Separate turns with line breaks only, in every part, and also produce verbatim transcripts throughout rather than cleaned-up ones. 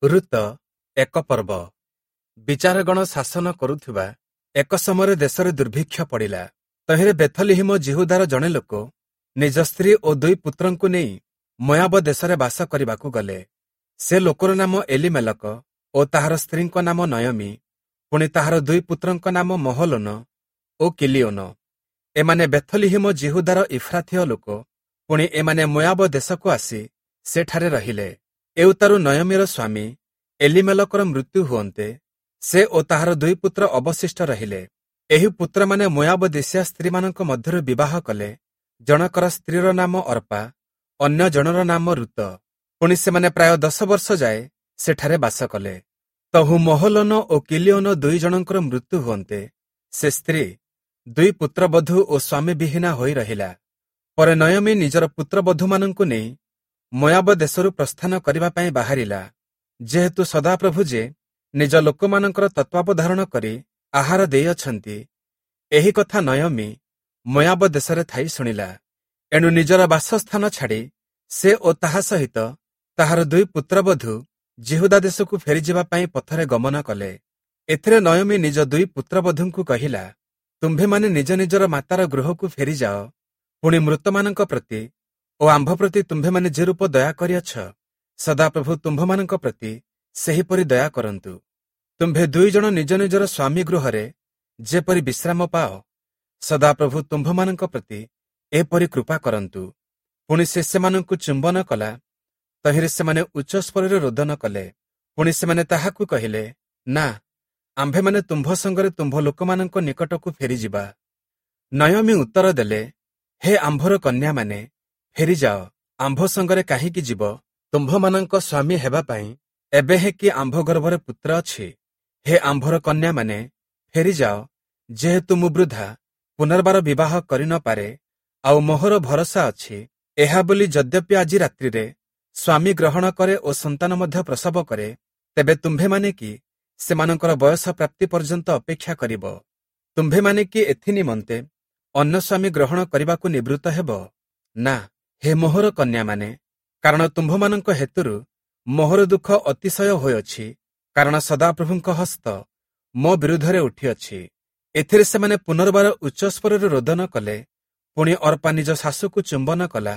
ଋତ ଏକ ପର୍ବ। ବିଚାରଗଣ ଶାସନ କରୁଥିବା ଏକ ସମୟରେ ଦେଶରେ ଦୁର୍ଭିକ୍ଷ ପଡ଼ିଲା। ତହିଁରେ ବେଥଲିହିମ ଯିହୁଦାର ଜଣେ ଲୋକ ନିଜ ସ୍ତ୍ରୀ ଓ ଦୁଇ ପୁତ୍ରଙ୍କୁ ନେଇ ମୋୟାବ ଦେଶରେ ବାସ କରିବାକୁ ଗଲେ। ସେ ଲୋକର ନାମ ଏଲିମେଲକ ଓ ତାହାର ସ୍ତ୍ରୀଙ୍କ ନାମ ନୟମୀ, ପୁଣି ତାହାର ଦୁଇ ପୁତ୍ରଙ୍କ ନାମ ମହଲୋନ ଓ କିଲିୟୋନ। ଏମାନେ ବେଥଲିହିମ ଯିହୁଦାର ଇଫ୍ରାଥୀୟ ଲୋକ। ପୁଣି ଏମାନେ ମୋୟାବ ଦେଶକୁ ଆସି ସେଠାରେ ରହିଲେ। ଏଉତାରୁ ନୟମୀର ସ୍ୱାମୀ ଏଲିମେଲକର ମୃତ୍ୟୁ ହୁଅନ୍ତେ ସେ ଓ ତାହାର ଦୁଇ ପୁତ୍ର ଅବଶିଷ୍ଟ ରହିଲେ। ଏହି ପୁତ୍ରମାନେ ମୋୟାବ ଦେଶୀୟା ସ୍ତ୍ରୀମାନଙ୍କ ମଧ୍ୟରୁ ବିବାହ କଲେ। ଜଣକର ସ୍ତ୍ରୀର ନାମ ଅର୍ପା, ଅନ୍ୟ ଜଣର ନାମ ଋତ। ପୁଣି ସେମାନେ ପ୍ରାୟ ଦଶ ବର୍ଷ ଯାଏ ସେଠାରେ ବାସ କଲେ। ତହୁ ମହଲୋନ ଓ କିଲିୟୋନ ଦୁଇ ଜଣଙ୍କର ମୃତ୍ୟୁ ହୁଅନ୍ତେ ସେ ସ୍ତ୍ରୀ ଦୁଇ ପୁତ୍ରବଧୂ ଓ ସ୍ୱାମୀ ବିହୀନା ହୋଇ ରହିଲା। ପରେ ନୟମୀ ନିଜର ପୁତ୍ରବଧୂମାନଙ୍କୁ ନେଇ ମୋୟାବ ଦେଶରୁ ପ୍ରସ୍ଥାନ କରିବା ପାଇଁ ବାହାରିଲା। ଯେହେତୁ ସଦାପ୍ରଭୁ ଯେ ନିଜ ଲୋକମାନଙ୍କର ତତ୍ତ୍ୱାବଧାରଣ କରି ଆହାର ଦେଇଅଛନ୍ତି, ଏହି କଥା ନୟମୀ ମୋୟାବ ଦେଶରେ ଥାଇ ଶୁଣିଲା। ଏଣୁ ନିଜର ବାସସ୍ଥାନ ଛାଡ଼ି ସେ ଓ ତାହା ସହିତ ତାହାର ଦୁଇ ପୁତ୍ରବଧୂ ଯିହୁଦା ଦେଶକୁ ଫେରିଯିବା ପାଇଁ ପଥରେ ଗମନ କଲେ। ଏଥିରେ ନୟମୀ ନିଜ ଦୁଇ ପୁତ୍ରବଧୂଙ୍କୁ କହିଲା, ତୁମ୍ଭେମାନେ ନିଜ ନିଜର ମାତାର ଗୃହକୁ ଫେରିଯାଅ। ପୁଣି ମୃତମାନଙ୍କ ପ୍ରତି ଓ ଆମ୍ଭ ପ୍ରତି ତୁମ୍ଭେମାନେ ଯେ ରୂପ ଦୟା କରିଅଛ, ସଦାପ୍ରଭୁ ତୁମ୍ଭମାନଙ୍କ ପ୍ରତି ସେହିପରି ଦୟା କରନ୍ତୁ। ତୁମ୍ଭେ ଦୁଇ ଜଣ ନିଜ ନିଜର ସ୍ୱାମୀ ଗୃହରେ ଯେପରି ବିଶ୍ରାମ ପାଅ, ସଦାପ୍ରଭୁ ତୁମ୍ଭମାନଙ୍କ ପ୍ରତି ଏପରି କୃପା କରନ୍ତୁ। ପୁଣି ସେ ସେମାନଙ୍କୁ ଚୁମ୍ବନ କଲା। ତହିଁରେ ସେମାନେ ଉଚ୍ଚସ୍ୱରରେ ରୋଦନ କଲେ। ପୁଣି ସେମାନେ ତାହାକୁ କହିଲେ, ନା, ଆମ୍ଭେମାନେ ତୁମ୍ଭ ସଙ୍ଗରେ ତୁମ୍ଭ ଲୋକମାନଙ୍କ ନିକଟକୁ ଫେରିଯିବା। ନୟମୀ ଉତ୍ତର ଦେଲେ, ହେ ଆମ୍ଭର କନ୍ୟାମାନେ, ଫେରିଯାଅ, ଆମ୍ଭ ସଙ୍ଗରେ କାହିଁକି ଯିବ? ତୁମ୍ଭମାନଙ୍କ ସ୍ୱାମୀ ହେବା ପାଇଁ ଏବେ ହେଁ କି ଆମ୍ଭ ଗର୍ଭରେ ପୁତ୍ର ଅଛି? ହେ ଆମ୍ଭର କନ୍ୟାମାନେ, ଫେରିଯାଅ, ଯେହେତୁ ମୁଁ ବୃଦ୍ଧା, ପୁନର୍ବାର ବିବାହ କରି ନ ପାରେ, ଆଉ ମୋହର ଭରସା ଅଛି ଏହା ବୋଲି ଯଦ୍ୟପି ଆଜି ରାତ୍ରିରେ ସ୍ୱାମୀ ଗ୍ରହଣ କରେ ଓ ସନ୍ତାନ ମଧ୍ୟ ପ୍ରସବ କରେ, ତେବେ ତୁମ୍ଭେମାନେ କି ସେମାନଙ୍କର ବୟସ ପ୍ରାପ୍ତି ପର୍ଯ୍ୟନ୍ତ ଅପେକ୍ଷା କରିବ? ତୁମ୍ଭେମାନେ କି ଏଥି ନିମନ୍ତେ ଅନ୍ୟ ସ୍ୱାମୀ ଗ୍ରହଣ କରିବାକୁ ନିବୃତ୍ତ ହେବ? ନା, ହେ ମୋହର କନ୍ୟାମାନେ, କାରଣ ତୁମ୍ଭମାନଙ୍କ ହେତୁରୁ ମୋହର ଦୁଃଖ ଅତିଶୟ ହୋଇଅଛି, କାରଣ ସଦାପ୍ରଭୁଙ୍କ ହସ୍ତ ମୋ ବିରୁଦ୍ଧରେ ଉଠିଅଛି। ଏଥିରେ ସେମାନେ ପୁନର୍ବାର ଉଚ୍ଚସ୍ୱରରେ ରୋଦନ କଲେ। ପୁଣି ଅର୍ପା ନିଜ ଶାଶୁକୁ ଚୁମ୍ବନ କଲା,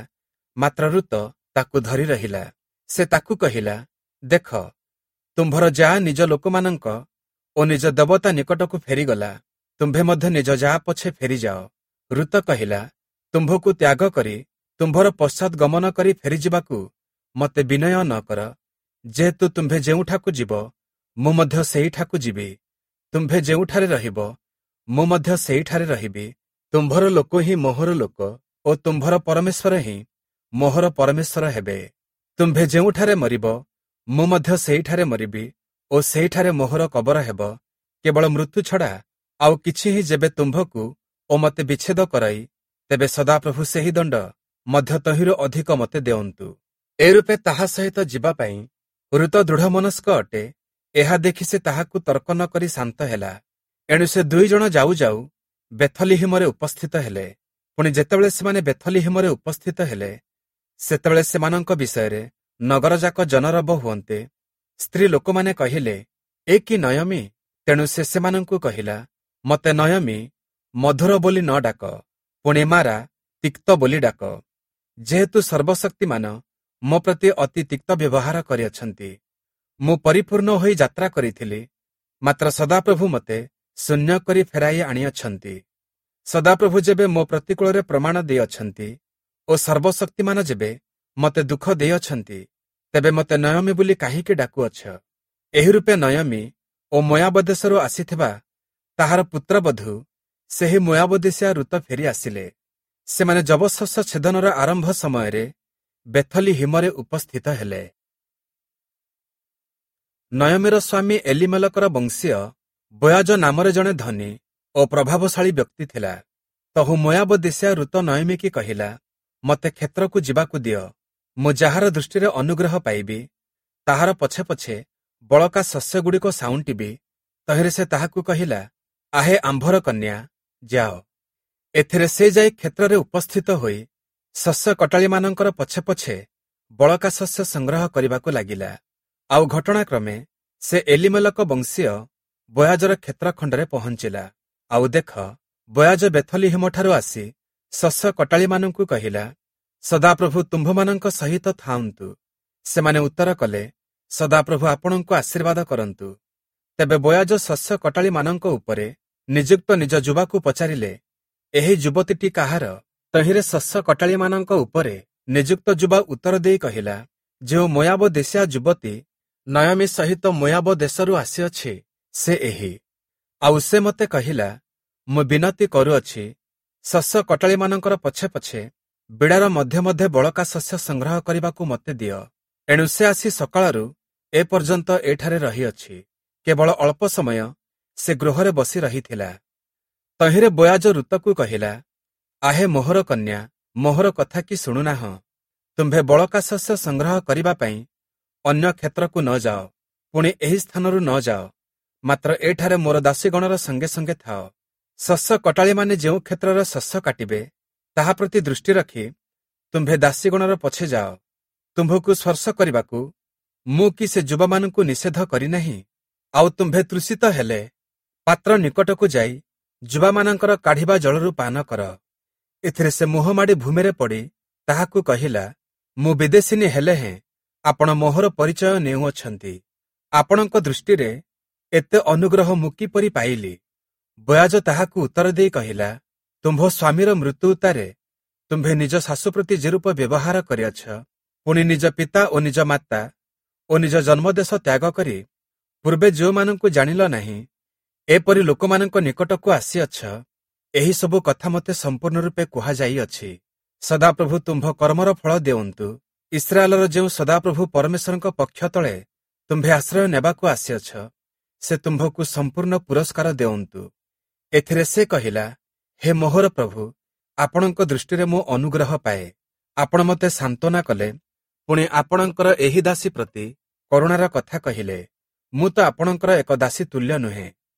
ମାତ୍ର ଋତ ତାକୁ ଧରି ରହିଲା। ସେ ତାକୁ କହିଲା, ଦେଖ, ତୁମ୍ଭର ଯାଆ ନିଜ ଲୋକମାନଙ୍କ ଓ ନିଜ ଦେବତା ନିକଟକୁ ଫେରିଗଲା, ତୁମ୍ଭେ ମଧ୍ୟ ନିଜ ଯାଆ ପଛେ ଫେରିଯାଅ। ଋତ କହିଲା, ତୁମ୍ଭକୁ ତ୍ୟାଗ କରି ତୁମ୍ଭର ପଶ୍ଚାତ୍ ଗମନ କରି ଫେରିଯିବାକୁ ମୋତେ ବିନୟ ନ କର। ଯେହେତୁ ତୁମ୍ଭେ ଯେଉଁଠାକୁ ଯିବ, ମୁଁ ମଧ୍ୟ ସେହିଠାକୁ ଯିବି। ତୁମ୍ଭେ ଯେଉଁଠାରେ ରହିବ, ମୁଁ ମଧ୍ୟ ସେହିଠାରେ ରହିବି। ତୁମ୍ଭର ଲୋକ ହିଁ ମୋହର ଲୋକ ଓ ତୁମ୍ଭର ପରମେଶ୍ୱର ହିଁ ମୋହର ପରମେଶ୍ୱର ହେବେ। ତୁମ୍ଭେ ଯେଉଁଠାରେ ମରିବ, ମୁଁ ମଧ୍ୟ ସେହିଠାରେ ମରିବି ଓ ସେହିଠାରେ ମୋହର କବର ହେବ। କେବଳ ମୃତ୍ୟୁ ଛଡ଼ା ଆଉ କିଛି ହିଁ ଯେବେ ତୁମ୍ଭକୁ ଓ ମୋତେ ବିଚ୍ଛେଦ କରାଇ, ତେବେ ସଦାପ୍ରଭୁ ସେହି ଦଣ୍ଡ ମଧ୍ୟ ତହିଁରୁ ଅଧିକ ମୋତେ ଦେଅନ୍ତୁ। ଏରୂପେ ତାହା ସହିତ ଯିବା ପାଇଁ ଋତ ଦୃଢ଼ମନସ୍କ ଅଟେ, ଏହା ଦେଖି ସେ ତାହାକୁ ତର୍କ ନ କରି ଶାନ୍ତ ହେଲା। ଏଣୁ ସେ ଦୁଇ ଜଣ ଯାଉ ଯାଉ ବେଥଲିହିମରେ ଉପସ୍ଥିତ ହେଲେ। ପୁଣି ଯେତେବେଳେ ସେମାନେ ବେଥଲିହିମରେ ଉପସ୍ଥିତ ହେଲେ, ସେତେବେଳେ ସେମାନଙ୍କ ବିଷୟରେ ନଗରଯାକ ଜନରବ ହୁଅନ୍ତେ ସ୍ତ୍ରୀ ଲୋକମାନେ କହିଲେ, ଏ କି ନୟମୀ? ତେଣୁ ସେ ସେମାନଙ୍କୁ କହିଲା, ମୋତେ ନୟମୀ ମଧୁର ବୋଲି ନ ଡାକ, ପୁଣି ମାରା ତିକ୍ତ ବୋଲି ଡାକ, ଯେହେତୁ ସର୍ବଶକ୍ତିମାନ ମୋ ପ୍ରତି ଅତି ତିକ୍ତ ବ୍ୟବହାର କରିଅଛନ୍ତି। ମୁଁ ପରିପୂର୍ଣ୍ଣ ହୋଇ ଯାତ୍ରା କରିଥିଲି, ମାତ୍ର ସଦାପ୍ରଭୁ ମୋତେ ଶୂନ୍ୟ କରି ଫେରାଇ ଆଣିଅଛନ୍ତି। ସଦାପ୍ରଭୁ ଯେବେ ମୋ ପ୍ରତିକୂଳରେ ପ୍ରମାଣ ଦେଇଅଛନ୍ତି ଓ ସର୍ବଶକ୍ତିମାନ ଯେବେ ମୋତେ ଦୁଃଖ ଦେଇଅଛନ୍ତି, ତେବେ ମୋତେ ନୟମୀ ବୋଲି କାହିଁକି ଡାକୁଅଛ? ଏହି ରୂପେ ନୟମୀ ଓ ମୋୟାବ ଦେଶରୁ ଆସିଥିବା ତାହାର ପୁତ୍ରବଧୂ ସେହି ମୋୟାବ ଦେଶୀୟା ଋତ ଫେରି ଆସିଲେ। ସେମାନେ ଯବଶସ୍ୟ ଛେଦନର ଆରମ୍ଭ ସମୟରେ ବେଥଲିହିମରେ ଉପସ୍ଥିତ ହେଲେ। ନୟମୀର ସ୍ୱାମୀ ଏଲିମେଲକର ବଂଶୀୟ ବୋୟାଜ ନାମରେ ଜଣେ ଧନୀ ଓ ପ୍ରଭାବଶାଳୀ ବ୍ୟକ୍ତି ଥିଲା। ତହୁ ମୋୟାବ ଦେଶୀୟା ଋତ ନୟମୀକି କହିଲା, ମୋତେ କ୍ଷେତ୍ରକୁ ଯିବାକୁ ଦିଅ, ମୁଁ ଯାହାର ଦୃଷ୍ଟିରେ ଅନୁଗ୍ରହ ପାଇବି, ତାହାର ପଛେ ପଛେ ବଳକା ଶସ୍ୟଗୁଡ଼ିକ ସାଉଣ୍ଟିବି। ତହିଁରେ ସେ ତାହାକୁ କହିଲା, ଆହେ ଆମ୍ଭର କନ୍ୟା, ଯାଅ। ଏଥିରେ ସେ ଯାଇ କ୍ଷେତ୍ରରେ ଉପସ୍ଥିତ ହୋଇ ଶସ୍ୟ କଟାଳିମାନଙ୍କର ପଛେ ପଛେ ବଳକା ଶସ୍ୟ ସଂଗ୍ରହ କରିବାକୁ ଲାଗିଲା। ଆଉ ଘଟଣାକ୍ରମେ ସେ ଏଲିମେଲକ ବଂଶୀୟ ବୋୟାଜର କ୍ଷେତ୍ରଖଣ୍ଡରେ ପହଞ୍ଚିଲା। ଆଉ ଦେଖ, ବୋୟାଜ ବେଥଲିହିମଠାରୁ ଆସି ଶସ୍ୟ କଟାଳିମାନଙ୍କୁ କହିଲା, ସଦାପ୍ରଭୁ ତୁମ୍ଭମାନଙ୍କ ସହିତ ଥାଆନ୍ତୁ। ସେମାନେ ଉତ୍ତର କଲେ, ସଦାପ୍ରଭୁ ଆପଣଙ୍କୁ ଆଶୀର୍ବାଦ କରନ୍ତୁ। ତେବେ ବୋୟାଜ ଶସ୍ୟ କଟାଳିମାନଙ୍କ ଉପରେ ନିଯୁକ୍ତ ନିଜ ଯୁବାକୁ ପଚାରିଲେ, ଏହି ଯୁବତୀଟି କାହାର? ତହିଁରେ ଶସ୍ୟ କଟାଳିମାନଙ୍କ ଉପରେ ନିଯୁକ୍ତ ଯୁବା ଉତ୍ତର ଦେଇ କହିଲା, ଯେଉଁ ମୋୟାବ ଦେଶୀୟା ଯୁବତୀ ନୟମୀ ସହିତ ମୋୟାବ ଦେଶରୁ ଆସିଅଛି, ସେ ଏହି। ଆଉ ସେ ମୋତେ କହିଲା, ମୁଁ ବିନତି କରୁଅଛି, ଶସ୍ୟ କଟାଳିମାନଙ୍କର ପଛେ ପଛେ ବିଡ଼ାର ମଧ୍ୟେ ମଧ୍ୟେ ବଳକା ଶସ୍ୟ ସଂଗ୍ରହ କରିବାକୁ ମୋତେ ଦିଅ। ଏଣୁ ସେ ଆସି ସକାଳରୁ ଏ ପର୍ଯ୍ୟନ୍ତ ଏଠାରେ ରହିଅଛି। କେବଳ ଅଳ୍ପ ସମୟ ସେ ଗୃହରେ ବସି ରହିଥିଲା। ତହିଁରେ ବୋୟାଜ ଋତକୁ କହିଲା, ଆହେ ମୋହର କନ୍ୟା, ମୋହର କଥା କି ଶୁଣୁନାହଁ? ତୁମ୍ଭେ ବଳକା ଶସ୍ୟ ସଂଗ୍ରହ କରିବା ପାଇଁ ଅନ୍ୟ କ୍ଷେତ୍ରକୁ ନ ଯାଅ, ପୁଣି ଏହି ସ୍ଥାନରୁ ନ ଯାଅ, ମାତ୍ର ଏଠାରେ ମୋର ଦାସୀଗଣର ସଙ୍ଗେ ସଙ୍ଗେ ଥାଅ। ଶସ୍ୟ କଟାଳିମାନେ ଯେଉଁ କ୍ଷେତ୍ରର ଶସ୍ୟ କାଟିବେ, ତାହା ପ୍ରତି ଦୃଷ୍ଟି ରଖି ତୁମ୍ଭେ ଦାସୀଗଣର ପଛେ ଯାଅ। ତୁମ୍ଭକୁ ସ୍ପର୍ଶ କରିବାକୁ ମୁଁ କି ସେ ଯୁବାମାନଙ୍କୁ ନିଷେଧ କରିନାହିଁ? ଆଉ ତୁମ୍ଭେ ତୃଷିତ ହେଲେ ପାତ୍ର ନିକଟକୁ ଯାଇ ଯୁବାମାନଙ୍କର କାଢ଼ିବା ଜଳରୁ ପାନ କର। ଏଥିରେ ସେ ମୁହଁ ମାଡ଼ି ଭୂମିରେ ପଡ଼ି ତାହାକୁ କହିଲା, ମୁଁ ବିଦେଶିନୀ ହେଲେ ହେଁ ଆପଣ ମୋହର ପରିଚୟ ନେଉଅଛନ୍ତି। ଆପଣଙ୍କ ଦୃଷ୍ଟିରେ ଏତେ ଅନୁଗ୍ରହ ମୁଁ କିପରି ପାଇଲି? ବୋୟାଜ ତାହାକୁ ଉତ୍ତର ଦେଇ କହିଲା, ତୁମ୍ଭ ସ୍ୱାମୀର ମୃତ୍ୟୁ ଉତ୍ତାରେ ତୁମ୍ଭେ ନିଜ ଶାଶୁ ପ୍ରତି ଯେରୂପ ବ୍ୟବହାର କରିଅଛ, ପୁଣି ନିଜ ପିତା ଓ ନିଜ ମାତା ଓ ନିଜ ଜନ୍ମଦେଶ ତ୍ୟାଗ କରି ପୂର୍ବେ ଯେଉଁମାନଙ୍କୁ ଜାଣିଲ ନାହିଁ, ଏପରି ଲୋକମାନଙ୍କ ନିକଟକୁ ଆସିଅଛ, ଏହି ସବୁ କଥା ମୋତେ ସମ୍ପୂର୍ଣ୍ଣ ରୂପେ କୁହାଯାଇଅଛି। ସଦାପ୍ରଭୁ ତୁମ୍ଭ କର୍ମର ଫଳ ଦେଉନ୍ତୁ। ଇସ୍ରାଏଲର ଯେଉଁ ସଦାପ୍ରଭୁ ପରମେଶ୍ୱରଙ୍କ ପକ୍ଷ ତଳେ ତୁମ୍ଭେ ଆଶ୍ରୟ ନେବାକୁ ଆସିଅଛ, ସେ ତୁମ୍ଭକୁ ସମ୍ପୂର୍ଣ୍ଣ ପୁରସ୍କାର ଦେଉନ୍ତୁ। ଏଥିରେ ସେ କହିଲା, ହେ ମୋହର ପ୍ରଭୁ, ଆପଣଙ୍କ ଦୃଷ୍ଟିରେ ମୁଁ ଅନୁଗ୍ରହ ପାଏ। ଆପଣ ମୋତେ ସାନ୍ତ୍ୱନା କଲେ, ପୁଣି ଆପଣଙ୍କର ଏହି ଦାସୀ ପ୍ରତି କରୁଣାର କଥା କହିଲେ। ମୁଁ ତ ଆପଣଙ୍କର ଏକ ଦାସୀ ତୁଲ୍ୟ ନୁହେଁ।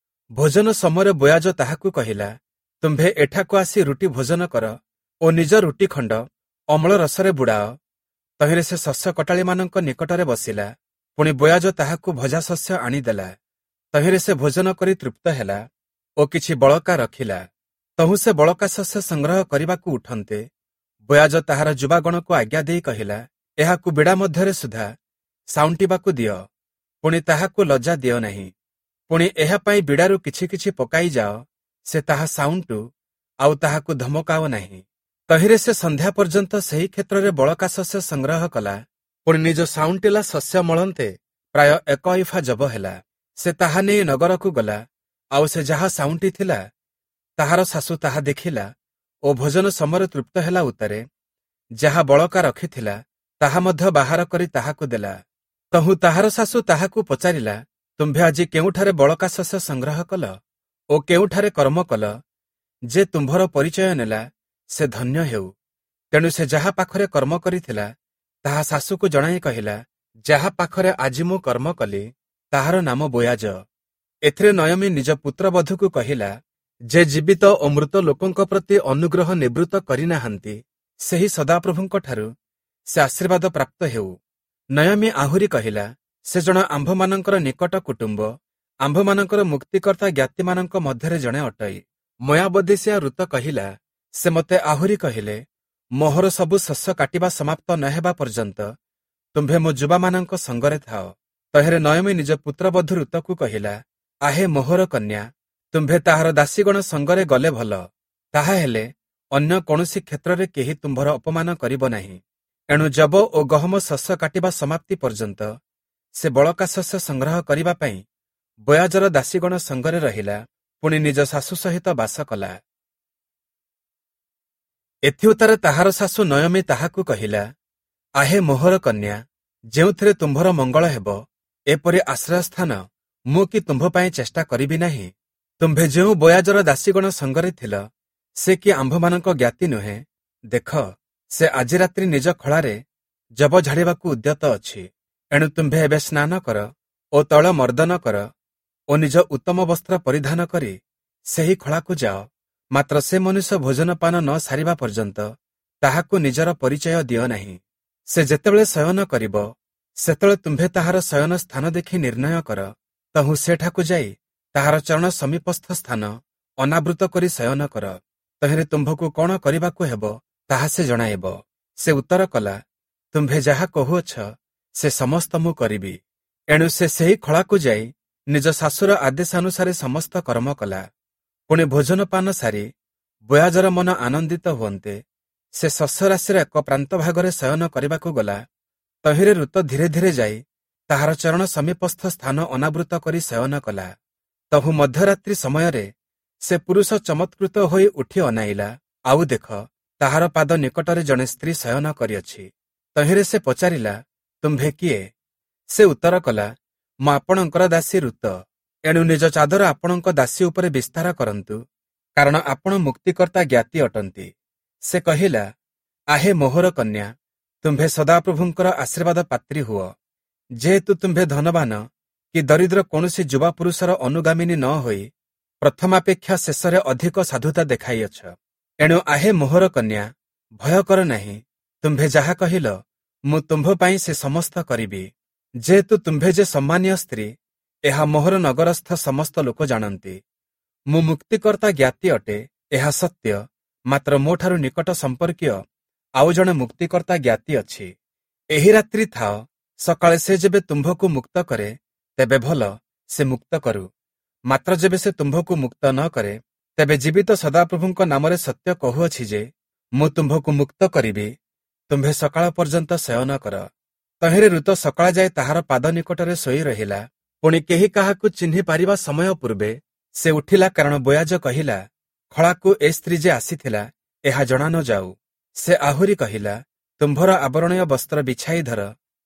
ଭୋଜନ ସମୟରେ ବୋୟାଜ ତାହାକୁ କହିଲା, ତୁମ୍ଭେ ଏଠାକୁ ଆସି ରୁଟି ଭୋଜନ କର ଓ ନିଜ ରୁଟି ଖଣ୍ଡ ଅମ୍ଳ ରସରେ ବୁଡ଼ାଅ। ତହିଁରେ ସେ ଶସ୍ୟ କଟାଳିମାନଙ୍କ ନିକଟରେ ବସିଲା। ପୁଣି ବୋୟାଜ ତାହାକୁ ଭଜା ଶସ୍ୟ ଆଣିଦେଲା। ତହିଁରେ ସେ ଭୋଜନ କରି ତୃପ୍ତ ହେଲା ଓ କିଛି ବଳକା ରଖିଲା। ତହୁଁ ସେ ବଳକା ଶସ୍ୟ ସଂଗ୍ରହ କରିବାକୁ ଉଠନ୍ତେ, ବୋୟାଜ ତାହାର ଯୁବାଗଣକୁ ଆଜ୍ଞା ଦେଇ କହିଲା, ଏହାକୁ ବିଡ଼ା ମଧ୍ୟରେ ସୁଦ୍ଧା ସାଉଣ୍ଟିବାକୁ ଦିଅ, ପୁଣି ତାହାକୁ ଲଜ୍ଜା ଦିଅ ନାହିଁ। ପୁଣି ଏହା ପାଇଁ ବିଡ଼ାରୁ କିଛି କିଛି ପକାଇ ଯାଅ, ସେ ତାହା ସାଉଣ୍ଟୁ, ଆଉ ତାହାକୁ ଧମକାଅ ନାହିଁ। ତହିଁରେ ସେ ସନ୍ଧ୍ୟା ପର୍ଯ୍ୟନ୍ତ ସେହି କ୍ଷେତ୍ରରେ ବଳକା ଶସ୍ୟ ସଂଗ୍ରହ କଲା। ପୁଣି ନିଜ ସାଉଣ୍ଟିଲା ଶସ୍ୟ ମଳନ୍ତେ ପ୍ରାୟ ଏକ ଇଫା ଜବ ହେଲା। ସେ ତାହା ନେଇ ନଗରକୁ ଗଲା, ଆଉ ସେ ଯାହା ସାଉଣ୍ଟି ଥିଲା ତାହାର ଶାଶୁ ତାହା ଦେଖିଲା ଓ ଭୋଜନ ସମୟରେ ତୃପ୍ତ ହେଲା ଉତ୍ତାରେ ଯାହା ବଳକା ରଖିଥିଲା ତାହା ମଧ୍ୟ ବାହାର କରି ତାହାକୁ ଦେଲା। ତହୁଁ ତାହାର ଶାଶୁ ତାହାକୁ ପଚାରିଲା, ତୁମ୍ଭେ ଆଜି କେଉଁଠାରେ ବଳକା ଶସ୍ୟ ସଂଗ୍ରହ କଲ ଓ କେଉଁଠାରେ କର୍ମ କଲ? ଯେ ତୁମ୍ଭର ପରିଚୟ ନେଲା ସେ ଧନ୍ୟ ହେଉ। ତେଣୁ ସେ ଯାହା ପାଖରେ କର୍ମ କରିଥିଲା ତାହା ଶାଶୁକୁ ଜଣାଇ କହିଲା, ଯାହା ପାଖରେ ଆଜି ମୁଁ କର୍ମ କଲି ତାହାର ନାମ ବୋୟାଜ। ଏଥିରେ ନୟମୀ ନିଜ ପୁତ୍ରବଧୂକୁ କହିଲା, ଯେ ଜୀବିତ ଓ ମୃତ ଲୋକଙ୍କ ପ୍ରତି ଅନୁଗ୍ରହ ନିବୃତ୍ତ କରିନାହାନ୍ତି, ସେହି ସଦାପ୍ରଭୁଙ୍କଠାରୁ ସେ ଆଶୀର୍ବାଦ ପ୍ରାପ୍ତ ହେଉ। ନୟମୀ ଆହୁରି କହିଲା, ସେ ଜଣ ଆମ୍ଭମାନଙ୍କର ନିକଟ କୁଟୁମ୍ବ, ଆମ୍ଭମାନଙ୍କର ମୁକ୍ତିକର୍ତ୍ତା ଜ୍ଞାତିମାନଙ୍କ ମଧ୍ୟରେ ଜଣେ ଅଟଇ। ମୟାବଦେଶିଆ ଋତ କହିଲା, ସେ ମୋତେ ଆହୁରି କହିଲେ, ମୋହର ସବୁ ଶସ୍ୟ କାଟିବା ସମାପ୍ତ ନ ହେବା ପର୍ଯ୍ୟନ୍ତ ତୁମ୍ଭେ ମୋ ଯୁବାମାନଙ୍କ ସଙ୍ଗରେ ଥାଅ। ତହିଁରେ ନୟମୀ ନିଜ ପୁତ୍ରବଧୂ ଋତକୁ କହିଲା, ଆହେ ମୋହର କନ୍ୟା, ତୁମ୍ଭେ ତାହାର ଦାସୀଗଣ ସଙ୍ଗରେ ଗଲେ ଭଲ, ତାହା ହେଲେ ଅନ୍ୟ କୌଣସି କ୍ଷେତ୍ରରେ କେହି ତୁମ୍ଭର ଅପମାନ କରିବ ନାହିଁ। ଏଣୁ ଯବ ଓ ଗହମ ଶସ୍ୟ କାଟିବା ସମାପ୍ତି ପର୍ଯ୍ୟନ୍ତ ସେ ବଳକା ଶସ୍ୟ ସଂଗ୍ରହ କରିବା ପାଇଁ ବୋୟାଜର ଦାସୀଗଣ ସଙ୍ଗରେ ରହିଲା, ପୁଣି ନିଜ ଶାଶୁ ସହିତ ବାସ କଲା। ଏଥିଉତ୍ତାରେ ତାହାର ଶାଶୁ ନୟମୀ ତାହାକୁ କହିଲା, ଆହେ ମୋହର କନ୍ୟା, ଯେଉଁଥିରେ ତୁମ୍ଭର ମଙ୍ଗଳ ହେବ, ଏପରି ଆଶ୍ରୟସ୍ଥାନ ମୁଁ କି ତୁମ୍ଭ ପାଇଁ ଚେଷ୍ଟା କରିବି ନାହିଁ? ତୁମ୍ଭେ ଯେଉଁ ବୋୟାଜର ଦାସୀଗଣ ସଙ୍ଗରେ ଥିଲ, ସେ କି ଆମ୍ଭମାନଙ୍କ ଜ୍ଞାତି ନୁହେଁ? ଦେଖ, ସେ ଆଜି ରାତ୍ରି ନିଜ ଖଳାରେ ଯବ ଝାଡ଼ିବାକୁ ଉଦ୍ୟତ ଅଛି। ଏଣୁ ତୁମ୍ଭେ ଏବେ ସ୍ନାନ କର ଓ ତୈଳ ମର୍ଦ୍ଦନ କର ଓ ନିଜ ଉତ୍ତମ ବସ୍ତ୍ର ପରିଧାନ କରି ସେହି ଖଳାକୁ ଯାଅ। ମାତ୍ର ସେ ମନୁଷ୍ୟ ଭୋଜନପାନ ନ ସାରିବା ପର୍ଯ୍ୟନ୍ତ ତାହାକୁ ନିଜର ପରିଚୟ ଦିଅ ନାହିଁ। ସେ ଯେତେବେଳେ ଶୟନ କରିବ, ସେତେବେଳେ ତୁମ୍ଭେ ତାହାର ଶୟନ ସ୍ଥାନ ଦେଖି ନିର୍ଣ୍ଣୟ କର। ତହୁଁ ସେଠାକୁ ଯାଇ ତାହାର ଚରଣ ସମୀପସ୍ଥ ସ୍ଥାନ ଅନାବୃତ କରି ଶୟନ କର। ତହିଁରେ ତୁମ୍ଭକୁ କଣ କରିବାକୁ ହେବ ତାହା ସେ ଜଣାଇବ। ସେ ଉତ୍ତର କଲା, ତୁମ୍ଭେ ଯାହା କହୁଅଛ ସେ ସମସ୍ତ ମୁଁ କରିବି। ଏଣୁ ସେ ସେହି ଖଳାକୁ ଯାଇ ନିଜ ଶାଶୁର ଆଦେଶାନୁସାରେ ସମସ୍ତ କର୍ମ କଲା। ପୁଣି ଭୋଜନପାନ ସାରି ବୋୟାଜର ମନ ଆନନ୍ଦିତ ହୁଅନ୍ତେ ସେ ଶସ୍ୟରାଶିର ଏକ ପ୍ରାନ୍ତ ଭାଗରେ ଶୟନ କରିବାକୁ ଗଲା। ତହିଁରେ ଋତ ଧୀରେ ଧୀରେ ଯାଇ ତାହାର ଚରଣ ସମୀପସ୍ଥ ସ୍ଥାନ ଅନାବୃତ କରି ଶୟନ କଲା। ତହୁଁ ମଧ୍ୟରାତ୍ରି ସମୟରେ ସେ ପୁରୁଷ ଚମତ୍କୃତ ହୋଇ ଉଠି ଅନାଇଲା, ଆଉ ଦେଖ, ତାହାର ପାଦ ନିକଟରେ ଜଣେ ସ୍ତ୍ରୀ ଶୟନ କରିଅଛି। ତହିଁରେ ସେ ପଚାରିଲା, ତୁମ୍ଭେ କିଏ? ସେ ଉତ୍ତର କଲା, ମୁଁ ଆପଣଙ୍କର ଦାସୀ ଋତ। ଏଣୁ ନିଜ ଚାଦର ଆପଣଙ୍କ ଦାସୀ ଉପରେ ବିସ୍ତାର କରନ୍ତୁ, କାରଣ ଆପଣ ମୁକ୍ତିକର୍ତ୍ତା ଜ୍ଞାତି ଅଟନ୍ତି। ସେ କହିଲା, ଆହେ ମୋହର କନ୍ୟା, ତୁମ୍ଭେ ସଦାପ୍ରଭୁଙ୍କର ଆଶୀର୍ବାଦ ପାତ୍ରୀ ହୁଅ। ଯେହେତୁ ତୁମ୍ଭେ ଧନବାନ କି ଦରିଦ୍ର କୌଣସି ଯୁବା ପୁରୁଷର ଅନୁଗାମିନୀ ନ ହୋଇ ପ୍ରଥମାପେକ୍ଷା ଶେଷରେ ଅଧିକ ସାଧୁତା ଦେଖାଇଅଛ। ଏଣୁ ଆହେ ମୋହର କନ୍ୟା, ଭୟ କର ନାହିଁ। ତୁମ୍ଭେ ଯାହା କହିଲ ମୁଁ ତୁମ୍ଭ ପାଇଁ ସେ ସମସ୍ତ କରିବି। ଯେହେତୁ ତୁମ୍ଭେ ଯେ ସମ୍ମାନୀୟ ସ୍ତ୍ରୀ, ଏହା ମୋହର ନଗରସ୍ଥ ସମସ୍ତ ଲୋକ ଜାଣନ୍ତି। ମୁଁ ମୁକ୍ତିକର୍ତ୍ତା ଜ୍ଞାତି ଅଟେ, ଏହା ସତ୍ୟ, ମାତ୍ର ମୋଠାରୁ ନିକଟ ସମ୍ପର୍କୀୟ ଆଉ ଜଣେ ମୁକ୍ତିକର୍ତ୍ତା ଜ୍ଞାତି ଅଛି। ଏହି ରାତ୍ରି ଥାଅ, ସକାଳେ ସେ ଯେବେ ତୁମ୍ଭକୁ ମୁକ୍ତ କରେ ତେବେ ଭଲ, ସେ ମୁକ୍ତ କରୁ। ମାତ୍ର ଯେବେ ସେ ତୁମ୍ଭକୁ ମୁକ୍ତ ନ କରେ, ତେବେ ଜୀବିତ ସଦାପ୍ରଭୁଙ୍କ ନାମରେ ସତ୍ୟ କହୁଅଛି ଯେ ମୁଁ ତୁମ୍ଭକୁ ମୁକ୍ତ କରିବି। ତୁମ୍ଭେ ସକାଳ ପର୍ଯ୍ୟନ୍ତ ଶୟନ କର। ତହିଁରେ ଋତ ସକାଳ ଯାଏ ତାହାର ପାଦ ନିକଟରେ ଶୋଇ ରହିଲା। ପୁଣି କେହି କାହାକୁ ଚିହ୍ନି ପାରିବା ସମୟ ପୂର୍ବେ ସେ ଉଠିଲା, କାରଣ ବୋୟାଜ କହିଲା, ଖଳାକୁ ଏ ସ୍ତ୍ରୀ ଯେ ଆସିଥିଲା ଏହା ଜଣା ନ ଯାଉ। ସେ ଆହୁରି କହିଲା, ତୁମ୍ଭର ଆବରଣୀୟ ବସ୍ତ୍ର ବିଛାଇ ଧର।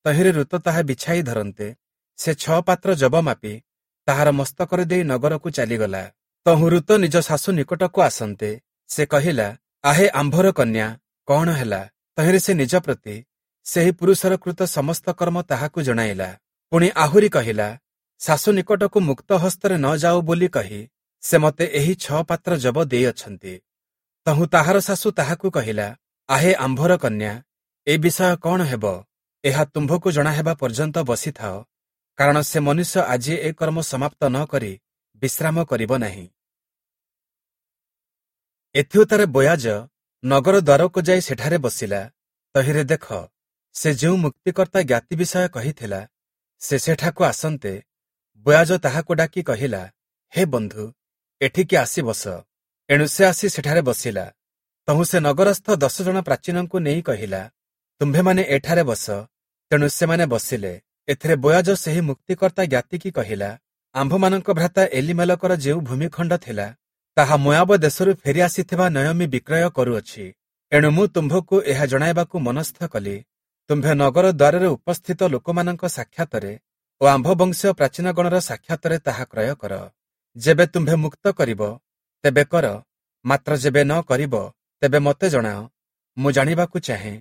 ତହିଁରେ ଋତ ତାହା ବିଛାଇ ଧରନ୍ତେ ସେ ଛଅ ପାତ୍ର ଜବ ମାପି ତାହାର ମସ୍ତକରେ ଦେଇ ନଗରକୁ ଚାଲିଗଲା। ତହୁଁ ଋତ ନିଜ ଶାଶୁ ନିକଟକୁ ଆସନ୍ତେ ସେ କହିଲା, ଆହେ ଆମ୍ଭର କନ୍ୟା, କଣ ହେଲା? ତହିଁରେ ସେ ନିଜ ପ୍ରତି ସେହି ପୁରୁଷର କୃତ ସମସ୍ତ କର୍ମ ତାହାକୁ ଜଣାଇଲା। ପୁଣି ଆହୁରି କହିଲା, ଶାଶୁ ନିକଟକୁ ମୁକ୍ତ ହସ୍ତରେ ନ ଯାଉ ବୋଲି କହି ସେ ମୋତେ ଏହି ଛଅ ପାତ୍ର ଜବ ଦେଇଅଛନ୍ତି। ତହୁଁ ତାହାର ଶାଶୁ ତାହାକୁ କହିଲା, ଆହେ ଆମ୍ଭର କନ୍ୟା, ଏ ବିଷୟ କଣ ହେବ? ଏହା ତୁମ୍ଭକୁ ଜଣାହେବା ପର୍ଯ୍ୟନ୍ତ ବସିଥାଅ, କାରଣ ସେ ମନୁଷ୍ୟ ଆଜି ଏ କର୍ମ ସମାପ୍ତ ନ କରି ବିଶ୍ରାମ କରିବ ନାହିଁ। ଏଥିଉତ୍ତାରେ ବୋୟାଜ ନଗର ଦ୍ୱାରକୁ ଯାଇ ସେଠାରେ ବସିଲା। ତହିଁରେ ଦେଖ, ସେ ଯେଉଁ ମୁକ୍ତିକର୍ତ୍ତା ଜ୍ଞାତି ବିଷୟ କହିଥିଲା ସେ ସେଠାକୁ ଆସନ୍ତେ ବୋୟାଜ ତାହାକୁ ଡାକି କହିଲା, ହେ ବନ୍ଧୁ, ଏଠିକି ଆସି ବସ। ଏଣୁ ସେ ଆସି ସେଠାରେ ବସିଲା। ତହୁଁ ସେ ନଗରସ୍ଥ ଦଶ ଜଣ ପ୍ରାଚୀନଙ୍କୁ ନେଇ କହିଲା, ତୁମ୍ଭେମାନେ ଏଠାରେ ବସ। ତେଣୁ ସେମାନେ ବସିଲେ। ଏଥିରେ ବୋୟାଜ ସେହି ମୁକ୍ତିକର୍ତ୍ତା ଜ୍ଞାତିକି କହିଲା, ଆମ୍ଭମାନଙ୍କ ଭ୍ରାତା ଏଲିମେଲକର ଯେଉଁ ଭୂମିଖଣ୍ଡ ଥିଲା ତାହା ମୋୟାବ ଦେଶରୁ ଫେରି ଆସିଥିବା ନୟମୀ ବିକ୍ରୟ କରୁଅଛି। ଏଣୁ ମୁଁ ତୁମ୍ଭକୁ ଏହା ଜଣାଇବାକୁ ମନସ୍ଥ କଲି। ତୁମ୍ଭେ ନଗର ଦ୍ୱାରରେ ଉପସ୍ଥିତ ଲୋକମାନଙ୍କ ସାକ୍ଷାତରେ ଓ ଆମ୍ଭ ବଂଶୀୟ ପ୍ରାଚୀନଗଣର ସାକ୍ଷାତରେ ତାହା କ୍ରୟ କର। ଯେବେ ତୁମ୍ଭେ ମୁକ୍ତ କରିବ ତେବେ କର, ମାତ୍ର ଯେବେ ନ କରିବ ତେବେ ମୋତେ ଜଣାଅ। ମୁଁ ଜାଣିବାକୁ ଚାହେଁ,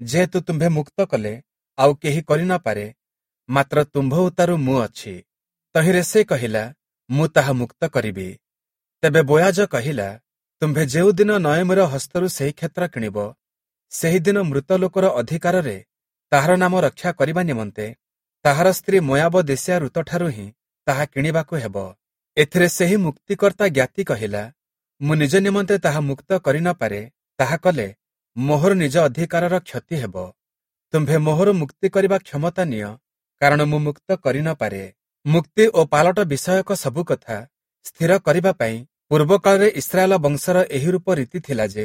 ଯେହେତୁ ତୁମ୍ଭେ ମୁକ୍ତ କଲେ ଆଉ କେହି କରି ନ ପାରେ, ମାତ୍ର ତୁମ୍ଭ ଉତ୍ତାରୁ ମୁଁ ଅଛି। ତହିଁରେ ସେ କହିଲା, ମୁଁ ତାହା ମୁକ୍ତ କରିବି। ତେବେ ବୋୟାଜ କହିଲା, ତୁମ୍ଭେ ଯେଉଁଦିନ ନୟମୀର ହସ୍ତରୁ ସେହି କ୍ଷେତ୍ର କିଣିବ, ସେହିଦିନ ମୃତ ଲୋକର ଅଧିକାରରେ ତାହାର ନାମ ରକ୍ଷା କରିବା ନିମନ୍ତେ ତାହାର ସ୍ତ୍ରୀ ମୋୟାବ ଦେଶିଆ ଋତଠାରୁ ହିଁ ତାହା କିଣିବାକୁ ହେବ। ଏଥିରେ ସେହି ମୁକ୍ତିକର୍ତ୍ତା ଜ୍ଞାତି କହିଲା, ମୁଁ ନିଜ ନିମନ୍ତେ ତାହା ମୁକ୍ତ କରି ନ ପାରେ, ତାହା କଲେ ମୋହର ନିଜ ଅଧିକାରର କ୍ଷତି ହେବ। ତୁମ୍ଭେ ମୋହର ମୁକ୍ତି କରିବା କ୍ଷମତା ନିଅ, କାରଣ ମୁଁ ମୁକ୍ତ କରି ନ ପାରେ। ମୁକ୍ତି ଓ ପାଲଟ ବିଷୟକ ସବୁ କଥା ସ୍ଥିର କରିବା ପାଇଁ ପୂର୍ବକାଳରେ ଇସ୍ରାଏଲ ବଂଶର ଏହି ରୂପ ରୀତି ଥିଲା ଯେ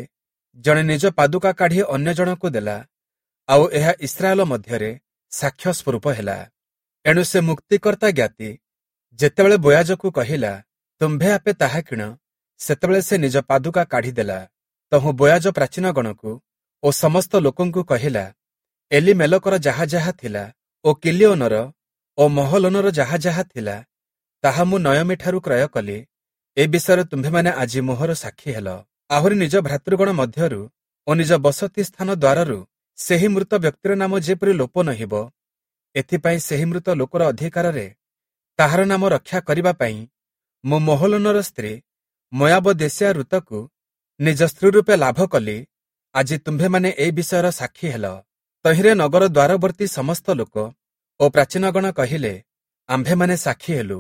ଜଣେ ନିଜ ପାଦୁକା କାଢ଼ି ଅନ୍ୟ ଜଣକୁ ଦେଲା, ଆଉ ଏହା ଇସ୍ରାଏଲ ମଧ୍ୟରେ ସାକ୍ଷ୍ୟ ସ୍ୱରୂପ ହେଲା। ଏଣୁ ସେ ମୁକ୍ତିକର୍ତ୍ତା ଜ୍ଞାତି ଯେତେବେଳେ ବୋୟାଜକୁ କହିଲା, ତୁମ୍ଭେ ଆପେ ତାହା କିଣ, ସେତେବେଳେ ସେ ନିଜ ପାଦୁକା କାଢ଼ିଦେଲା। ତହୁଁ ବୋୟାଜ ପ୍ରାଚୀନଗଣକୁ ଓ ସମସ୍ତ ଲୋକଙ୍କୁ କହିଲା, ଏଲିମେଲକର ଯାହା ଯାହା ଥିଲା ଓ କିଲିଓନର ଓ ମହଲୋନର ଯାହା ଯାହା ଥିଲା ତାହା ମୁଁ ନୟମୀଠାରୁ କ୍ରୟ କଲି। ଏ ବିଷୟରେ ତୁମ୍ଭେମାନେ ଆଜି ମୋହର ସାକ୍ଷୀ ହେଲ। ଆହୁରି ନିଜ ଭ୍ରାତୃଗଣ ମଧ୍ୟରୁ ଓ ନିଜ ବସତି ସ୍ଥାନ ଦ୍ୱାରରୁ ସେହି ମୃତ ବ୍ୟକ୍ତିର ନାମ ଯେପରି ଲୋପ ନହିବ, ଏଥିପାଇଁ ସେହି ମୃତ ଲୋକର ଅଧିକାରରେ ତାହାର ନାମ ରକ୍ଷା କରିବା ପାଇଁ ମୁଁ ମହଲୋନର ସ୍ତ୍ରୀ ମୋୟାବ ଦେଶିଆ ଋତକୁ ନିଜ ସ୍ତ୍ରୀ ରୂପେ ଲାଭ କଲି। ଆଜି ତୁମ୍ଭେମାନେ ଏ ବିଷୟର ସାକ୍ଷୀ ହେଲ। ତହିଁରେ ନଗର ଦ୍ୱାରବର୍ତ୍ତୀ ସମସ୍ତ ଲୋକ ଓ ଓ ପ୍ରାଚୀନଗଣ କହିଲେ, ଆମ୍ଭେମାନେ ସାକ୍ଷୀ ହେଲୁ।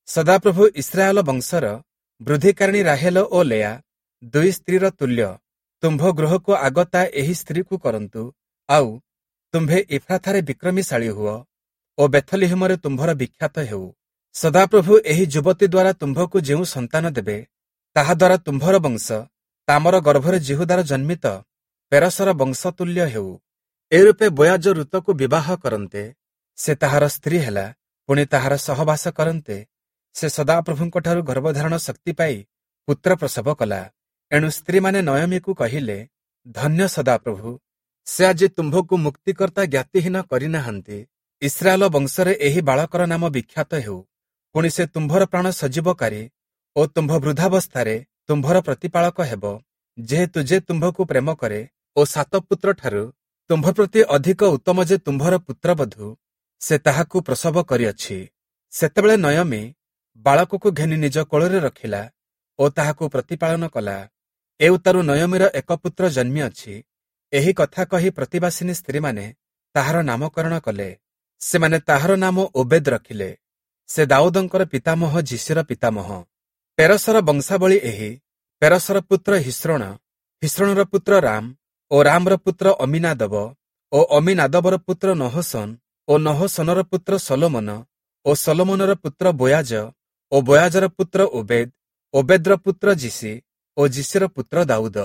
ସଦାପ୍ରଭୁ ଇସ୍ରାଏଲ ବଂଶର ବୃଦ୍ଧିକାରିଣୀ ରାହେଲ ଓ ଲେଆ ଦୁଇ ସ୍ତ୍ରୀର ତୁଲ୍ୟ ତୁମ୍ଭ ଗୃହକୁ ଆଗତା ଏହି ସ୍ତ୍ରୀକୁ କରନ୍ତୁ, ଆଉ ତୁମ୍ଭେ ଇଫ୍ରାଥାରେ ବିକ୍ରମୀଶାଳୀ ହୁଅ ଓ ବେଥଲିହିମରେ ତୁମ୍ଭର ବିଖ୍ୟାତ ହେଉ। ସଦାପ୍ରଭୁ ଏହି ଯୁବତୀ ଦ୍ୱାରା ତୁମ୍ଭକୁ ଯେଉଁ ସନ୍ତାନ ଦେବେ, ତାହା ଦ୍ୱାରା ତୁମ୍ଭର ବଂଶ ତାମର ଗର୍ଭରେ ଯିହୁଦାର ଜନ୍ମିତ ପେରସର ବଂଶ ତୁଲ୍ୟ ହେଉ। ଏରୂପେ ବୋୟାଜ ଋତକୁ ବିବାହ କରନ୍ତେ ସେ ତାହାର ସ୍ତ୍ରୀ ହେଲା, ପୁଣି ତାହାର ସହବାସ କରନ୍ତେ ସେ ସଦାପ୍ରଭୁଙ୍କଠାରୁ ଗର୍ଭଧାରଣ ଶକ୍ତି ପାଇ ପୁତ୍ର ପ୍ରସବ କଲା। ଏଣୁ ସ୍ତ୍ରୀମାନେ ନୟମୀକୁ କହିଲେ, ଧନ୍ୟ ସଦାପ୍ରଭୁ, ସେ ଆଜି ତୁମ୍ଭକୁ ମୁକ୍ତିକର୍ତ୍ତା ଜ୍ଞାତିହୀନ କରିନାହାନ୍ତି। ଇସ୍ରାଏଲ ବଂଶରେ ଏହି ବାଳକର ନାମ ବିଖ୍ୟାତ ହେଉ। ପୁଣି ସେ ତୁମ୍ଭର ପ୍ରାଣ ସଜୀବକାରୀ ଓ ତୁମ୍ଭ ବୃଦ୍ଧାବସ୍ଥାରେ ତୁମ୍ଭର ପ୍ରତିପାଳକ ହେବ, ଯେହେତୁ ଯେ ତୁମ୍ଭକୁ ପ୍ରେମ କରେ ଓ ସାତ ପୁତ୍ରଠାରୁ ତୁମ୍ଭ ପ୍ରତି ଅଧିକ ଉତ୍ତମ ଯେ ତୁମ୍ଭର ପୁତ୍ରବଧୂ, ସେ ତାହାକୁ ପ୍ରସବ କରିଅଛି। ସେତେବେଳେ ନୟମୀ ବାଳକକୁ ଘେନି ନିଜ କୋଳରେ ରଖିଲା ଓ ତାହାକୁ ପ୍ରତିପାଳନ କଲା। ଏଉତାରୁ ନୟମୀର ଏକ ପୁତ୍ର ଜନ୍ମିଅଛି। ଏହି କଥା କହି ପ୍ରତିବାସିନୀ ସ୍ତ୍ରୀମାନେ ତାହାର ନାମକରଣ କଲେ। ସେମାନେ ତାହାର ନାମ ଓବେଦ ରଖିଲେ। ସେ ଦାଉଦଙ୍କର ପିତାମହ ଯିଶୀର ପିତାମହ। ପେରସର ବଂଶାବଳୀ ଏହି। ପେରସର ପୁତ୍ର ହିସ୍ରୋଣ, ହିସ୍ରୋଣର ପୁତ୍ର ରାମ ଓ ରାମର ପୁତ୍ର ଅମିନାଦବ ଓ ଅମିନାଦବର ପୁତ୍ର ନହସନ ଓ ନହସନର ପୁତ୍ର ସଲୋମନ ଓ ସଲୋମନର ପୁତ୍ର ବୋୟାଜ ଓ ବୋୟାଜର ପୁତ୍ର ଓବେଦ, ଓବେଦର ପୁତ୍ର ଯିଶୀ ଓ ଯିଶୀର ପୁତ୍ର ଦାଉଦ।